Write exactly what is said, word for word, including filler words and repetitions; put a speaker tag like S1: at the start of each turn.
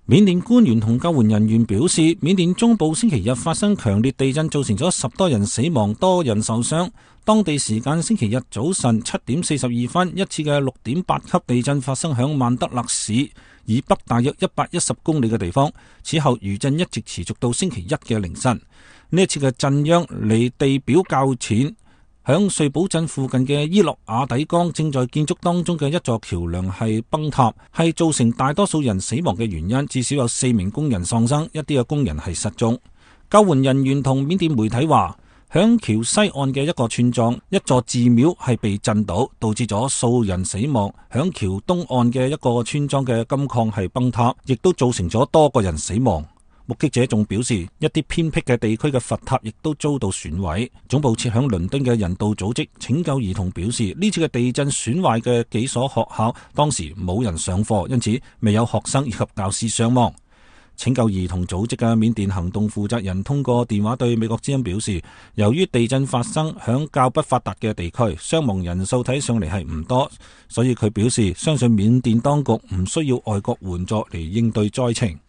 S1: 緬甸官員同救援人員表示，緬甸中部星期日發生強烈地震，造成咗十多人死亡，多人受傷。當地時間星期日早晨七點四十二分，一次嘅六點八級地震發生響曼德勒市以北大約一百一十公里嘅地方。此後餘震一直持續到星期一嘅凌晨。呢一次嘅震央離地表較淺。響瑞寶鎮附近嘅伊洛瓦底江正在建築當中嘅一座橋樑係崩塌，係造成大多數人死亡嘅原因。至少有四名工人喪生，一啲嘅工人係失蹤。救援人員同緬甸媒體話，響橋西岸嘅一個村莊，一座寺廟係被震倒，導致咗數人死亡。響橋東岸嘅一個村莊嘅金礦係崩塌，亦都造成咗多個人死亡。目擊者仲表示，一啲偏僻嘅地區嘅佛塔亦都遭到損毀。總部設響倫敦嘅人道組織拯救兒童表示，呢次嘅地震損壞嘅幾所學校當時冇人上課，因此未有學生以及教師傷亡。拯救兒童組織嘅緬甸行動負責人通過電話對美國之音表示，由於地震發生響較不發達嘅地區，傷亡人數睇上嚟係唔多，所以佢表示相信緬甸當局唔需要外國援助嚟應對災情。